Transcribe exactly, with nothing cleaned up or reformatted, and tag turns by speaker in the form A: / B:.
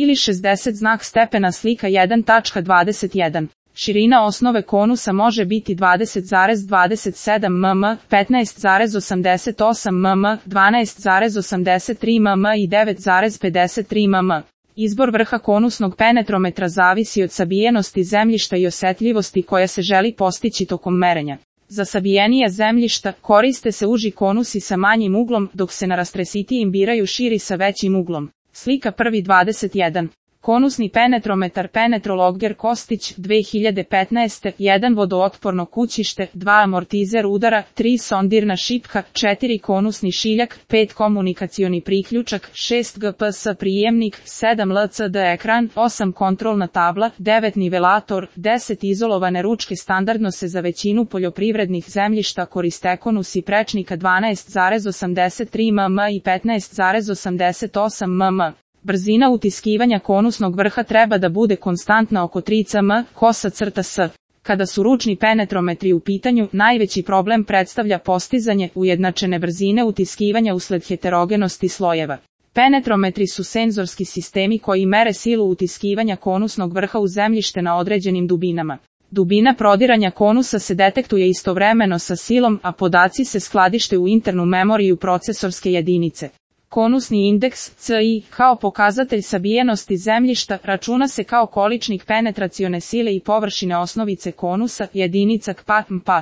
A: ili šezdeset znak stepena slika jedan tačka dvadeset jedan. Širina osnove konusa može biti dvadeset zarez dvadeset sedam milimetra, petnaest zarez osamdeset osam milimetra, dvanaest zarez osamdeset tri milimetra i devet zarez pedeset tri milimetra. Izbor vrha konusnog penetrometra zavisi od sabijenosti zemljišta i osetljivosti koja se želi postići tokom merenja. Za sabijenija zemljišta koriste se uži konusi sa manjim uglom, dok se na rastresitijim biraju širi sa većim uglom. Slika prvi dvadeset jedan. Konusni penetrometar Penetrologger Kostić dve hiljade petnaeste. jedan vodootporno kućište, dva amortizer udara, tri sondirna šipka, četiri konusni šiljak, pet komunikacioni priključak, šest G P S prijemnik, sedam L C D ekran, osam kontrolna tabla, devet nivelator, deset izolovane ručke. Standardno se za većinu poljoprivrednih zemljišta koriste konusi prečnika dvanaest zarez osamdeset tri milimetra i petnaest zarez osamdeset osam milimetra. Brzina utiskivanja konusnog vrha treba da bude konstantna oko tri centimetra, kosa crta S. Kada su ručni penetrometri u pitanju, najveći problem predstavlja postizanje ujednačene brzine utiskivanja usled heterogenosti slojeva. Penetrometri su senzorski sistemi koji mere silu utiskivanja konusnog vrha u zemljište na određenim dubinama. Dubina prodiranja konusa se detektuje istovremeno sa silom, a podaci se skladište u internu memoriju procesorske jedinice. Konusni indeks, C I, kao pokazatelj sabijenosti zemljišta, računa se kao količnik penetracione sile i površine osnovice konusa, jedinica K P A, M P A.